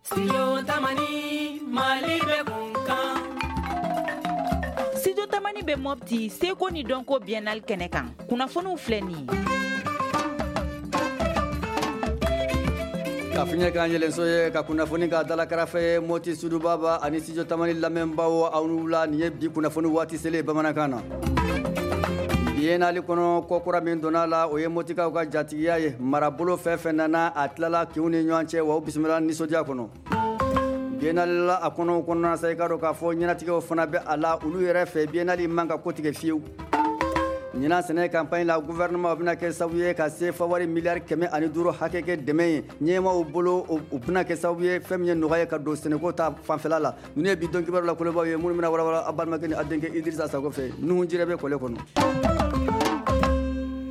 Studio Tamani, Mali bɛ kun kan. Studio Tamani bɛ Mopti seko ni dɔnko biennale kɛnɛ kan. Kunnafoniw filɛ nin ye. Ka fiɲɛ k'an yɛlɛnso ye ka kunnafoni k'a dala karafe ye Moti Sudubaba ani Studio Tamani lamɛnbaaw aw ni wula. Nin ye bi kunnafoni waati selen bamanankan na. Biennale kɔnɔ ko kura min donna la, o ye Motikaw ka jatigiya ye. Marabolo fɛn fɛn nana, a tilala kinw ni ɲɔgɔn cɛ, wa u bisimila nisɔndiya kɔnɔ. Biennale la a kɔnɔ kɔnɔna sa, i k'a dɔn k'a fɔ ɲɛnatigɛw fana bɛ a la olu yɛrɛ fɛ. Biennale man ka ko tigɛ fiyewu. Ɲinan sɛnɛ campagne la, gouvernement bɛna kɛ sababu ye ka CFA wari miliyari 105 hakɛ kɛ dɛmɛ ye ɲɛmaaw bolo. O bɛna kɛ sababu ye fɛn min ye nɔgɔya ye ka don sɛnɛko ta fanfɛla la. Ninnu ye bi don kibaru la kolobaw ye, minnu bɛna walawala aw balimakɛ ni aw denkɛ Idrissa Sakɔ fɛ. Nuhu Jire bɛ kɔlɛ kɔnɔ.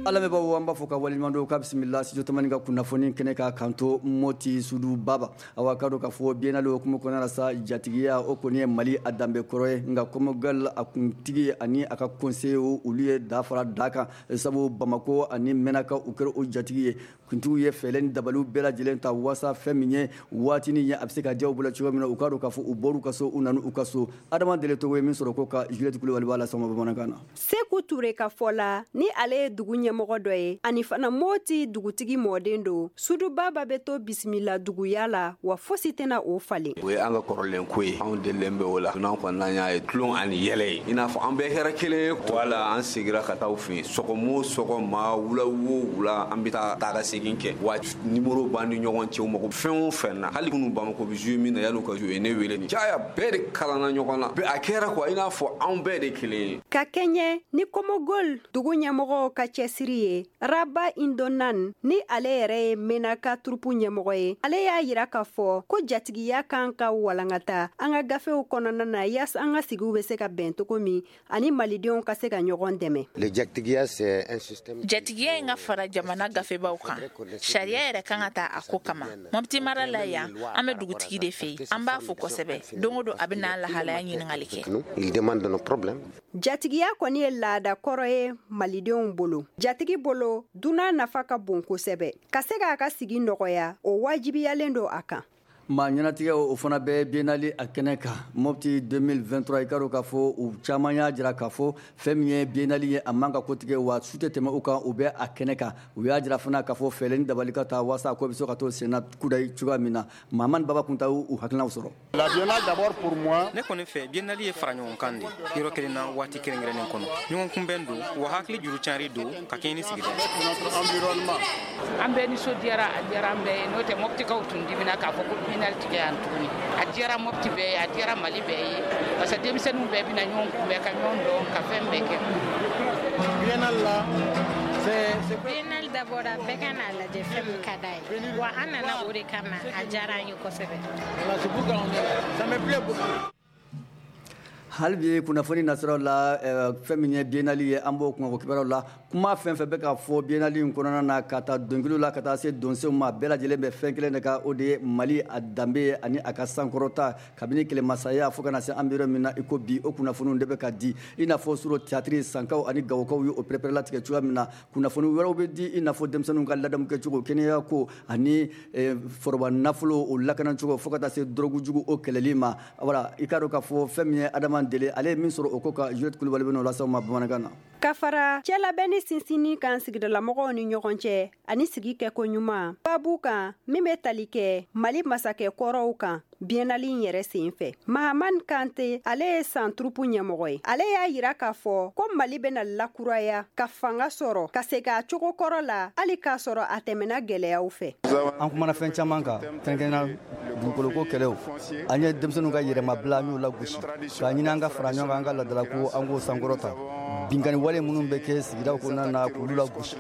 An lamɛnbaaw, an b'a fɔ ka waleɲuman dɔn k'a bisimila Studio Tamani ka kunnafoni kɛnɛ kan kanto Moti Sudu Baba. Awa, k'a dɔn k'a fɔ biennale hukumu kɔnɔna la sa, jatigiya o kɔni ye Mali a danbe kɔrɔ ye. Nka Kɔmɔgal a kuntigi ani a ka conseiller, olu ye da fara da kan, sabu Bamako ani Menaka, u kɛra o jatigi ye. Kuntigiw ye fɛɛrɛ ni dabaliw bɛɛ lajɛlen ta waasa fɛn min ye waatinin ye, a bɛ se ka diya u bolo cogo min na. U k'a dɔn k'a fɔ u bɔr'u ka so, u nana u ka so. Adama Dele Togo ye min sɔrɔ ko ka Juliette Kulibali b'a lasɔn bamanankan na. Seku Ture ka fɔ la, ni ale ye dugu ɲɛmɔgɔ dɔ ye ani fana Moti dugutigi mɔden don, Sudubaba bɛ to bisimila duguya la, wa fosi tɛna o falen. O ye an ka kɔrɔlen ko ye, anw delilen bɛ o la. N'an kɔni n'an y'a ye tulon ani yɛlɛ ye, i n'a fɔ an bɛɛ kɛra kelen ye. Wala an segira ka taa u fɛ yen sɔgɔma o sɔgɔma, wula o wula, an bɛ taa taa ka segin kɛ. Wa nimoro b'an ni ɲɔgɔn cɛ, u mago fɛn o fɛn na, hali kunun Bamako bɛ jouer min na, yan'u ka jouer, ne wele ni caya bɛɛ de kalanna ɲɔgɔn na. A kɛra quoi, i n'a fɔ anw bɛɛ de kelen ye. Ka kɛɲɛ ni Komogol dugu ɲɛmɔgɔw ka cɛsiri ye, Raba Indonan, ni ale yɛrɛ ye Menaka turupu ɲɛmɔgɔ ye, ale y'a yira k'a fɔ ko jatigiya kan ka walankata an ka gafew kɔnɔna na, yaasa an ka sigiw bɛ se ka bɛn cogo min ani malidenw ka se ka ɲɔgɔn dɛmɛ. Jatigiya in ka fara jamana gafebaw kan, sariya yɛrɛ kan ka ta a ko kama. Mɔpti mara la yan, an bɛ dugutigi de fɛ yen. An b'a fo kosɛbɛ. Don o don, a bɛ n'an lahalaya ɲininkali kɛ. Jatigiya kɔni ye laada kɔrɔ ye malidenw bolo. Jatigi bolo, dunan nafa ka bon kosɛbɛ. Ka se k'a ka sigi nɔgɔya, o wajibiyalen don a kan. Maa ɲɛnatigɛ, o fana bɛ biennale a kɛnɛ kan Mopti 2023. I ka dɔn k'a fɔ u caman y'a jira k'a fɔ fɛn min ye biennale ye, a man ka kotigɛ, wa su tɛ tɛmɛ u kan, u bɛ a kɛnɛ kan. U y'a jira fana k'a fɔ fɛɛrɛ ni dabali ka taa waasa a ko bɛ se ka to senna kudayi cogoya min na. Mamani Baba Kunta y'u hakilinaw sɔrɔ. La biennale d'abord pour moi. Ne kɔni fɛ, biennale ye fara ɲɔgɔn kan de yɔrɔ kelen na waati kɛrɛnkɛrɛnnen kɔnɔ. Ɲɔgɔn kunbɛn don, wa hakili juru cari don ka kɛɲɛ ni sigida. Notre environnement. An bɛɛ nisɔndiyara, a diyara an bɛɛ ye. N'o tɛ, Mɔpitikaw tun dimina k'a fɔ ko biennale tigɛ yan tuguni. A diyara Mɔpiti bɛɛ ye, a diyara Mali bɛɛ ye, parce que denmisɛnninw bɛɛ bɛna ɲɔgɔn kunbɛn ka ɲɔgɔn dɔn ka fɛn bɛɛ kɛ. Biennale là, c'est Biennale dabɔra bɛɛ ka n'a lajɛ fɛn min ka d'a ye, wa an nana o de kama. A diyara an ye kosɛbɛ. Voilà, c'est pourquoi on est là. Ça me plaît beaucoup. Hali bi kunnafoni nasiraw la, fɛn min ye biennale ye, an b'o kungo kibaruyaw la. Kuma fɛn fɛn bɛ ka fɔ biennale in kɔnɔna na, ka taa dɔnkiliw la ka taa se donsow ma, bɛɛ lajɛlen bɛ fɛn kelen de kan, o de ye Mali a danbe ye ani a ka sankɔrɔta kabini kɛlɛmasaya fo ka na se an bɛ yɔrɔ min na i ko bi. O kunnafoniw de bɛ ka di, i n'a fɔ suro théâtre sankaw ani gawokaw ye o pɛrɛpɛrɛlatigɛ cogoya min na. Kunnafoni wɛrɛw bɛ di, i n'a fɔ denmisɛnninw ka ladamu kɛcogo, kɛnɛya ko ani foroba nafolo o lakanacogo, fo ka taa se dɔrɔgu jugu o kɛlɛli ma. Wala i k'a dɔn k'a fɔ fɛn min ye Adama Dele, ale ye min sɔrɔ o ko ka, Juliette Kulibali bɛ n'o lase aw ma bamanankan na. Ka fara cɛlabɛnni sinsinni kan sigidalamɔgɔw ni ɲɔgɔn cɛ ani sigi kɛko ɲuman, babu kan min bɛ tali kɛ Mali masakɛ kɔrɔw kan biennale in yɛrɛ sen fɛ, Mahamani Kante, ale ye san turupu ɲɛmɔgɔ ye, ale y'a yira k'a fɔ ko Mali bɛna lakuraya ka fanga sɔrɔ ka segin a cogo kɔrɔ la, hali k'a sɔrɔ a tɛmɛna gwɛlɛyaw fɛ. An kumana fɛn caman kan, kɛrɛnkɛrɛnnenya dugukoloko kɛlɛw. An ye denmisɛnninw ka yɛrɛmabila, an y'o lagosi k'a ɲini an ka fara ɲɔgɔn kan, an ka ladalako, an k'o sankɔrɔta, binkani wale minnu bɛ kɛ sigidaw kɔnɔna na, k'olu lagosi.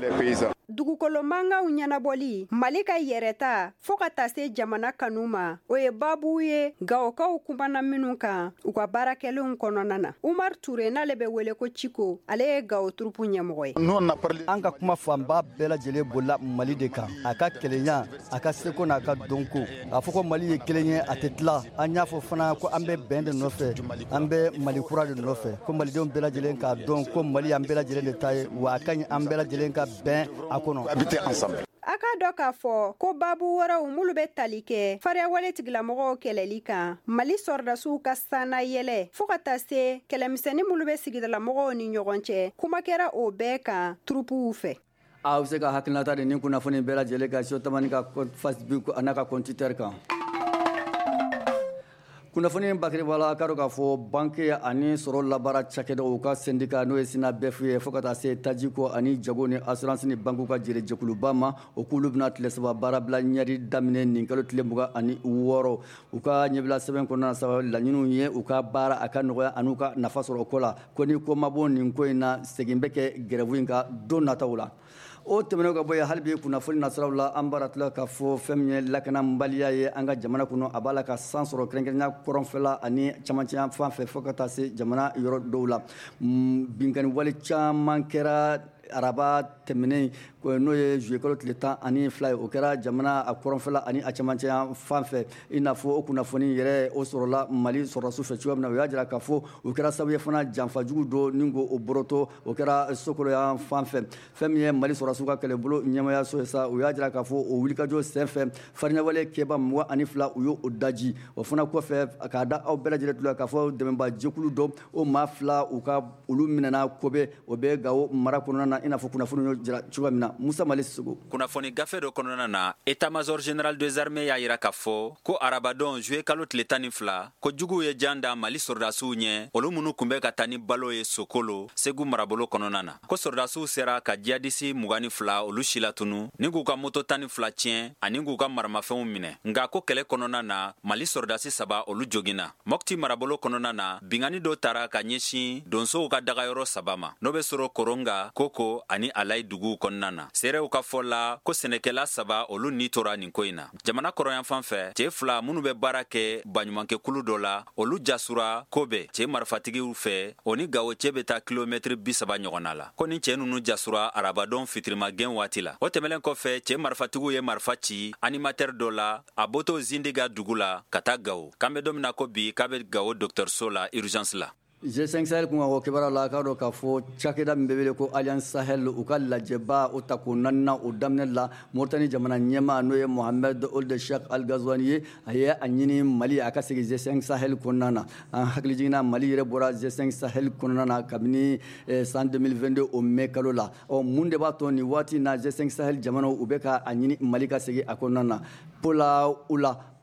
Dugukolo mankanw ɲɛnabɔli, Mali ka yɛrɛta fɔɔ ka taa se jamana kanu ma, o ye babu ye Gawokaw kumana minnu kan u ka baarakɛlenw kɔnɔna na. Umar Ture, n'ale bɛ wele ko Ciko, ale ye Gawo turupu ɲɛmɔgɔ ye. An ka kuma fanba bɛɛ lajɛlen bolila Mali de kan, a ka kelenya, a ka seko n'a ka dɔnko, a fɔ ko Mali ye kelen ye, a tɛ tila. An y'a fɔ fana ko an bɛ bɛn de nɔfɛ, an bɛ Mali kura de nɔfɛ, ko malidenw bɛɛ lajɛlen k'a dɔn ko Mali y'an bɛɛ lajɛlen de ta ye, wa a ka ɲi an bɛɛ lajɛlen ka bɛn a kɔnɔ. A k'a dɔn k'a fɔ ko baabu wɛrɛw minnu bɛ tali kɛ fariyawale tigilamɔgɔw kɛlɛli kan, Mali sɔrɔdasiw ka sanna yɛlɛ, fo ka taa se kɛlɛmisɛnnin minnu bɛ sigidalamɔgɔw ni ɲɔgɔn cɛ, kuma kɛra o bɛɛ kan turupuw fɛ. Aw bɛ se ka hakilinata di nin kunnafoni bɛɛ lajɛlen kan Studio Tamani ka Facebook a n'a ka compte Twitter kan. Kunnafoni bakiriba la, k'a dɔn k'a fɔ banque ani sɔrɔ labaara cakɛdaw ka syndicat, n'o ye SYNABEF ye, fo ka taa se tajiko ani jago ni assurance ni banque ka jɛrɛjɛkuluba ma, o k'olu bɛna tile 3 baarabila ɲɛri daminɛ nin kalo tile 26. U ka ɲɛbila sɛbɛn kɔnɔna sa, laɲiniw ye u ka baara a ka nɔgɔya ani ka nafa sɔrɔ o ko la. Ko ni ko ma bɔ nin ko in na, segin bɛ kɛ grève in kan don nataw la. O tɛmɛnen ka bɔ yen, hali bi kunnafoni nasiraw la, an b'a tila k'a fɔ fɛn min ye lakanabaliya ye an ka jamana kɔnɔ, a b'a la ka san sɔrɔ, kɛrɛnkɛrɛnya kɔrɔnfɛla ani camancɛ fan fɛ, fo ka taa se jamana yɔrɔ dɔw la. Binkanni wale caman kɛra araba tɛmɛnen, n'o ye juillet kalo tile 12 ye. O kɛra jamana a kɔrɔnfɛla ani a camancɛ fan fɛ. I n'a fɔ o kunnafoni yɛrɛ o sɔrɔla Mali sɔrɔdasiw fɛ cogoya min na, o y'a jira k'a fɔ o kɛra sababu ye fana janfajugu dɔ ni ko o bɔrɔtɔ, o kɛra Sokoloyan fan fɛ. Fɛn min ye Mali sɔrɔdasiw ka kɛlɛbolo ɲɛmayaso ye sa, o y'a jira k'a fɔ o wulikajɔ senfɛ, fariɲawale kɛba 22, u y'o daji. O fana kɔfɛ, k'a da aw bɛɛ lajɛlen tulo k'a fɔ dɛmɛba jɛkulu dɔ, o maa 2, u ka olu minɛna Kobe, o bɛ Gawo mara kɔnɔna na, i n'a fɔ kunnafoni y'o jira cogoya min na. Musa Mali Sogo. Kunnafoni gafe dɔ kɔnɔna na, état-major général des armées y'a yira k'a fɔ ko arabadon juillet kalo tile 12, ko juguw ye jan da Mali sɔrɔdasiw ɲɛ, olu minnu tun bɛ ka taa ni balo ye Sokolo, Segu marabolo kɔnɔna na, ko sɔrɔdasiw sera ka jihadisi 22 olu silatunu ni k'u ka moto 12 tiɲɛ ani k'u ka maramafɛnw minɛ. Nka ko kɛlɛ kɔnɔna na, Mali sɔrɔdasi 3 olu joginna. Mɔpti marabolo kɔnɔna na, binkanni dɔ tara ka ɲɛsin donsow ka dagayɔrɔ 3 ma, n'o bɛ sɔrɔ Koronga, Koko ani Alayi duguw kɔnɔna na. Seerew ka fɔ la ko sɛnɛkɛla 3 olu ni tora nin ko in na. Jamana kɔrɔyanfan fɛ, cɛ 2 minnu bɛ baara kɛ baɲumankɛkulu dɔ la, olu jasura Kobe cɛ marifatigiw fɛ, o ni Gawo cɛ bɛ taa kilomɛtiri 30 ɲɔgɔnna la. Ko ni cɛ ninnu jasura arabadon fitirimagɛn waati la. O tɛmɛnen kɔfɛ, cɛ marifatigiw ye marifa ci animateur dɔ la a bɔtɔ Zindiga dugu la ka taa Gawo. K'an bɛ don min na ko bi, k'a bɛ Gawo dɔgɔtɔrɔso la urgence la. G5 Sahel kun ka kibaruya la, k'a dɔn k'a fɔ cakɛda min bɛ wele ko Alliance Sahel, u ka lajɛba o tako naaninan, o daminɛ la, Mauritanie jamana ɲɛmaa, n'o ye Mohamed Ould Cheikh Al Ghazouani ye, a ye a ɲini Mali a ka segin G5 Sahel kɔnɔna na. An hakili jiginna, Mali yɛrɛ bɔra G5 Sahel kɔnɔna na kabini san 2022, o mai kalo la. Ɔ, mun de b'a to nin waati na G5 Sahel jamanaw u bɛ ka a ɲini Mali ka segin a kɔnɔna na?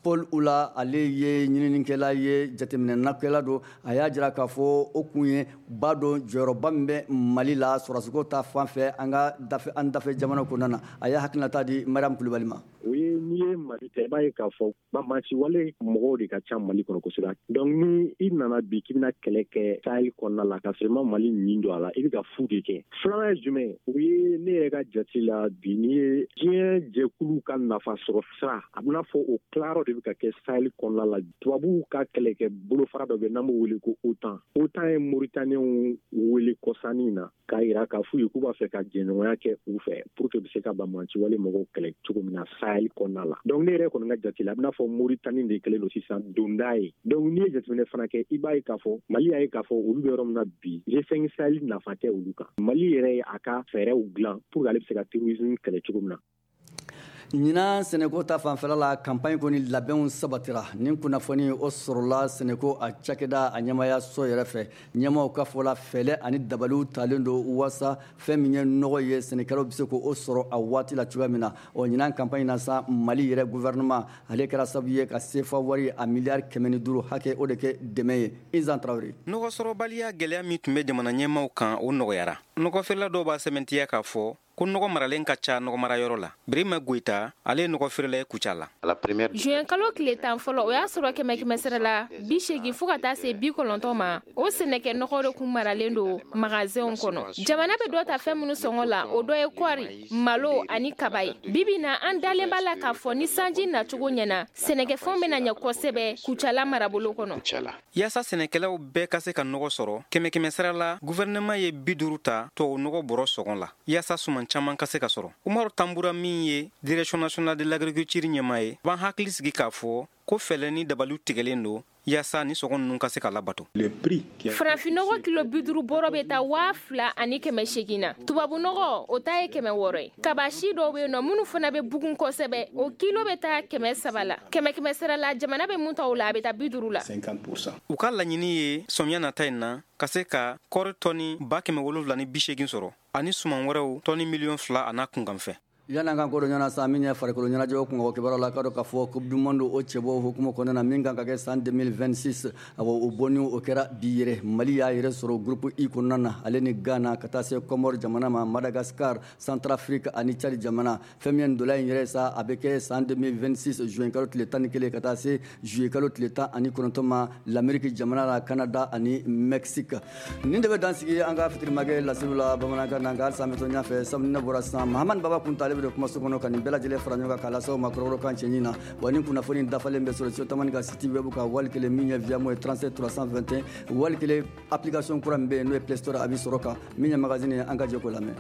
Paul Oula, ale ye ɲininikɛla ye, jateminɛnakɛla don. A y'a jira k'a fɔ o kun ye ba dɔn jɔyɔrɔba min bɛ Mali la sɔrɔdasiko ta fan fɛ an ka dafe, an dafe jamana kɔnɔna na. A y'a hakilinata di Mariam Kulibali ma. O ye n'i ye Mali ta, i b'a ye k'a fɔ banbaanci wale mɔgɔw de ka ca Mali kɔnɔ kosɛbɛ. Donc ni i nana bi k'i bɛna kɛlɛ kɛ Sahel kɔnɔna la ka sɔrɔ i ma Mali ɲin don a la, i bɛ ka fu de kɛ. Filanan ye jumɛn ye? O ye ne yɛrɛ ka jate la bi, n'i ye diɲɛ jɛkulu ka nafa sɔrɔ sira, a bɛna fɔ o tilayɔrɔ de bɛ ka kɛ Sahel kɔnɔna la. Tubabuw ka kɛlɛkɛ bolofara dɔ bɛ n'an b'o wele ko OTAN. OTAN ye Mauritaniens wele kɔsannin na k'a yira k'a f'u ye k'u b'a fɛ ka jɛɲɔgɔnya kɛ u fɛ pour que bɛ se ka banbaanci wale mɔgɔw kɛlɛ cogo min na Sahel kɔnɔna la. Donc ne yɛrɛ kɔni ka jate la, a bɛna fɔ Mauritanie de kɛlen don sisan donda ye. Donc n'i ye jateminɛ fana kɛ, i b'a ye k'a fɔ Mali y'a ye k'a fɔ olu bɛ yɔrɔ min na bi, G5 Sahel nafa tɛ olu kan. Mali yɛrɛ ye a ka fɛɛrɛw dilan pour que ale bɛ se ka terrorisme kɛlɛ cogo min na. Ɲinan sɛnɛko ta fanfɛla la, campagne kɔni labɛnw sabatira. Nin kunnafoni o sɔrɔla sɛnɛko a cakɛda a ɲɛmaya so yɛrɛ fɛ. Ɲɛmaw ka fɔ la, fɛlɛ ani dabaliw talen don waasa fɛn min ye nɔgɔ ye, sɛnɛkɛlaw bɛ se k'o sɔrɔ a waati la cogoya min na. Ɔ, ɲinan campagne na sa, Mali yɛrɛ gouvernement ale kɛra sababu ye ka CFA wari a miliyari 105 hakɛ o de kɛ dɛmɛ ye. Izan Traoré. Nɔgɔ sɔrɔbaliya gɛlɛya min tun bɛ jamana ɲɛmaw kan, o nɔgɔyara. Nɔgɔfeerela dɔw b'a sɛmɛntiya k'a fɔ ko nɔgɔ maralen ka ca nɔgɔmarayɔrɔ la. Birima Goyita, ale ye nɔgɔ feerela ye Kucala la. Juin kalo tile 10 fɔlɔ, o y'a sɔrɔ kɛmɛ kɛmɛ sira la 80 fo ka taa se 90 ma, o sɛnɛkɛ nɔgɔ de kun maralen don magasinw kɔnɔ. Jamana bɛ dɔ ta fɛn minnu sɔngɔ la, o dɔ ye kɔɔri, malo ani kaba ye. Bibi na, an dalen b'a la k'a fɔ ni sanji nacogo ɲɛna, sɛnɛkɛfɛnw bɛna ɲɛ kosɛbɛ Kucala marabolo kɔnɔ. Yaasa sɛnɛkɛlaw bɛɛ ka se ka nɔgɔ sɔrɔ, kɛmɛ kɛmɛ sira la, gouvernement ye 50 ta tubabu nɔgɔ bɔrɔ sɔngɔ la yaasa suman caman ka se ka sɔrɔ. Umaru Tambura min ye direction nationale de l'agriculture ɲɛmaa ye, b'an hakili sigi k'a fɔ ko fɛɛrɛ ni dabaliw tigɛlen don yaasa ni sɔngɔ ninnu ka se ka labato. Farafinnɔgɔ kilo 50 bɔrɔ bɛ taa 2800 na. Tubabunɔgɔ o ta ye 600 ye. Kaba si dɔw bɛ yen nɔ minnu fana bɛ bugun kosɛbɛ, o kilo bɛ taa 300 la. 100 sara la, jamana bɛ mun ta o la, a bɛ taa 50 la. U ka laɲini ye sɔmiya nata in na ka se ka kɔɔri tɔni 780,000 sɔrɔ ani suman wɛrɛw tɔni 2 miliyɔn a n'a kunkanfɛ. Yan'an ka kodɔn ɲɔgɔn na sa, min ye farikolo ɲɛnajɛw kungo kibaruyaw la, k'a dɔn k'a fɔ Coupe du monde o cɛbɔ hukumu kɔnɔna na min kan ka kɛ san 2026, awɔ, o bɔnni o kɛra bi yɛrɛ. Mali y'a yɛrɛ sɔrɔ groupe I kɔnɔna na, ale ni Ghana ka taa se Comore jamana ma, Madagascar, Centrafrique ani Tchad jamana. Fɛn min ye ndola in yɛrɛ sa, a bɛ kɛ san 2026 juin kalo tile 11 ka taa se juillet kalo tile 19 ma l'Amérique jamana la, Canada ani Mexique. Nin de bɛ dan sigi an ka fitirimakɛ laseliw la bamanankan na, nka halisa an bɛ to ɲɛfɛ. Sabu ne bɔra sisan, Mahamani Baba Kunta ale bɛ don kumaso kɔnɔ ka nin bɛɛ lajɛlen fara ɲɔgɔn kan k'a lase aw ma kɔrɔbɔrɔkan cɛɲi na. Wa ni kunnafoni dafalen bɛ sɔrɔ Studio Tamani ka site web kan, wali kelen min ye Viamo ye 37 321, wali kelen application kura min bɛ yen n'o ye Play Store, a bɛ sɔrɔ kan. Min ye magazine ye, an ka jɛ k'o lamɛn.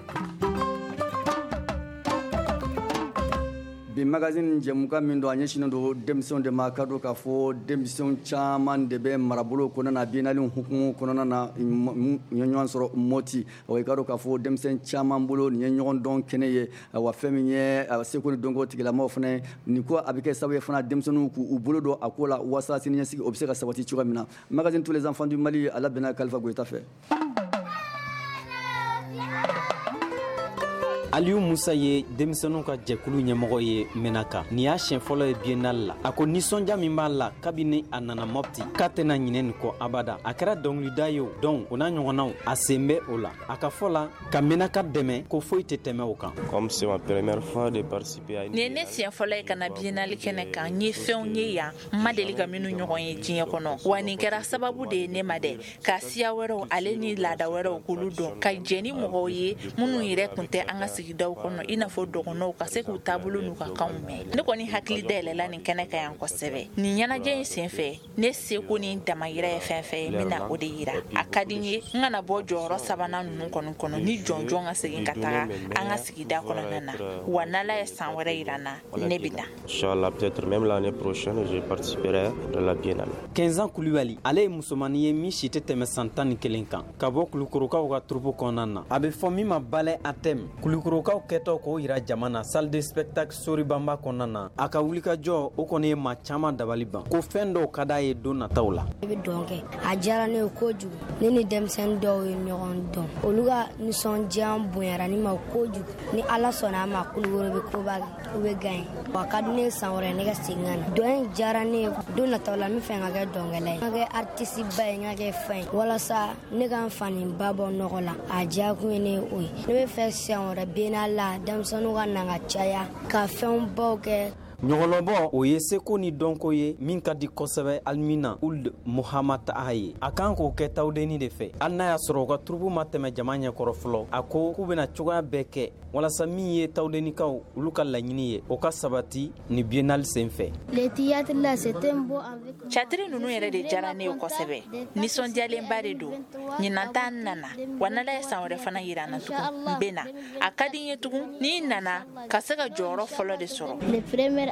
Bi magazine jɛmukan min don, a ɲɛsinnen don denmisɛnw de ma. Ka dɔn k'a fɔ denmisɛnw caman de bɛ marabolo kɔnɔna na, biennale hukumu kɔnɔna na, u ye ɲɔgɔn sɔrɔ Moti. Wa i ka dɔn k'a fɔ denmisɛn caman bolo nin ye ɲɔgɔn dɔn kɛnɛ ye. Wa fɛn min ye seko ni dɔnko tigilamaw fana, nin ko a bɛ kɛ sababu ye fana denmisɛnninw k'u bolo don a ko la walasa siniɲɛsigi o bɛ se ka sabati cogoya min na. Magazine tous les enfants du Mali, a labɛnna Kalifa Goyita fɛ. Aliyu Musa ye denmisɛnninw ka jɛkulu ɲɛmɔgɔ ye Menaka. Nin y'a siɲɛ fɔlɔ ye biennale la. A ko nisɔndiya min b'a la kabini a nana Mopti, k'a tɛna ɲinɛ nin kɔ abada. A kɛra dɔnkilida ye o, dɔn o n'a ɲɔgɔnnaw, a sen bɛ o la. A ka fɔ la, ka Menaka dɛmɛ, ko foyi tɛ tɛmɛ o kan. Nin ye ne siɲɛ fɔlɔ ye ka na biennale kɛnɛ kan. N ye fɛnw ye yan n ma deli ka minnu ɲɔgɔn ye diɲɛ kɔnɔ. Wa nin kɛra sababu de ye ne ma dɛ, ka siya wɛrɛw ale ni laada wɛrɛw k'olu dɔn, ka jɛ ni mɔgɔw ye minnu yɛrɛ tun tɛ an ka sigidaw kɔnɔ, i n'a fɔ dɔgɔnɔw, ka se k'u taabolo n'u ka kanw mɛn. Ne kɔni hakili dayɛlɛla nin kɛnɛ kan yan kosɛbɛ. Nin ɲɛnajɛ in senfɛ, ne seko ni damayira ye fɛn fɛn ye, n bɛna o de yira. A ka di n ye n kana bɔ jɔyɔrɔ sabanan ninnu kɔni kɔnɔ ni jɔnjɔn ka segin ka taga an ka sigida kɔnɔna na. Wa n'Ala ye san wɛrɛ yira n na, ne bɛ na. Kɛnzan Kulibali, ale ye musomannin ye min si tɛ tɛmɛ san 11 kan, ka bɔ Kulukorokaw ka troupe kɔnɔna na. A bɛ fɔ min ma ballet à thème. Kulukorokaw kɛtɔ k'o yira jama na salle de spectacle Sori Banba kɔnɔna na, a ka wulikajɔ o kɔni ye maa caman dabali ban, ko fɛn dɔw ka d'a ye don nataw la. Ne bɛ dɔn kɛ, a diyara ne ye kojugu. Ne ni denmisɛnnin dɔw ye ɲɔgɔn dɔn, olu ka nisɔndiya bonyara ne ma kojugu. Ni Ala sɔnna a ma, Kulukoro bɛ koba kɛ, u bɛ gagner. Wa ka di ne ye san wɛrɛ ne ka segin ka na. Dɔn in diyara ne ye, don nataw la n bɛ fɛ ka kɛ dɔnkɛla ye, n ka kɛ artiste ba ye, n ka kɛ fɛn ye, walasa ne ka n fa ni ba bɔ nɔgɔ la. A diyakun ye ne ye o ye. Ne bɛ fɛ siɲɛ wɛrɛ biennale la, denmisɛnninw ka na ka caya, ka fɛnw baw kɛ. Ɲɔgɔlɔbɔ o ye seko ni dɔnko ye min ka di kosɛbɛ Alimina Ould Muhammad Taha ye. A kan k'o kɛ Tawudeni de fɛ, hali n'a y'a sɔrɔ u ka troupe ma tɛmɛ jama ɲɛkɔrɔ fɔlɔ. A ko k'u bɛna cogoya bɛɛ kɛ walasa min ye Tawudenikaw olu ka laɲini ye, o ka sabati ni biennale sen fɛ. Catiri ninnu yɛrɛ de diyara ne ye kosɛbɛ. Nisɔndiyalenba de don. Ɲinan ta n nana, wa n'Ala ye san wɛrɛ fana yira n na tugun, n bɛ na. A ka di n ye tugun ni n nana ka se ka jɔyɔrɔ fɔlɔ de sɔrɔ.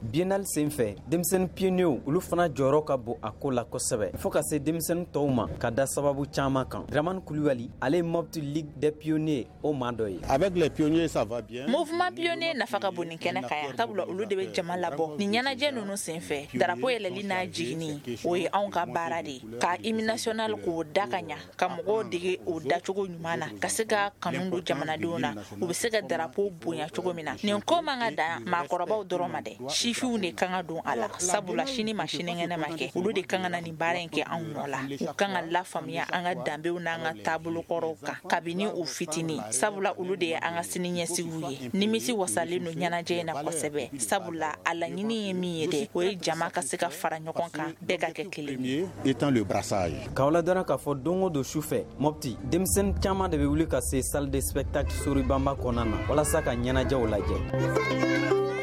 Biennale sen fɛ, denmisɛnnin pionniers olu fana jɔyɔrɔ ka bon a ko la kosɛbɛ, fo ka se denmisɛnnin tɔw ma ka da sababu caman kan. Dramane Kulibali, ale ye Mopti Ligue des pionniers o maa dɔ ye. Avec les pionniers, ça va bien. Mouvement pionnier nafa ka bon nin kɛnɛ kan yan, sabula olu de bɛ jama labɔ nin ɲɛnajɛ ninnu senfɛ. Darapo yɛlɛli n'a jiginni, o ye anw ka baara de ye, ka hymne national k'o da ka ɲa, ka mɔgɔw dege o dacogo ɲuman na, ka se ka kanu don jamanadenw na, u bɛ se ka darapo bonya cogo min na. Nin ko man ka dan maakɔrɔbaw dɔrɔn ma dɛ, sifinw de kan ka don a la, sabula sini ma sinikɛnɛ ma kɛ, olu de kan ka na nin baara in kɛ anw nɔ la. U kan ka lafaamuya an ka danbew n'an ka taabolokɔrɔw kan kabini u fitinin, sabula olu de ye an ka sini ɲɛsigiw ye. Nimisi wasalen don ɲɛnajɛ in na kosɛbɛ, sabula a laɲini ye min ye dɛ, o ye jama ka se ka fara ɲɔgɔn kan, bɛɛ ka kɛ kelen ye. K'aw ladɔnna k'a fɔ don o don su fɛ Mopti, denmisɛnnin caman de bɛ wuli ka se salle de spectacle Sori Banba kɔnɔna na walasa ka ɲɛnajɛw lajɛ.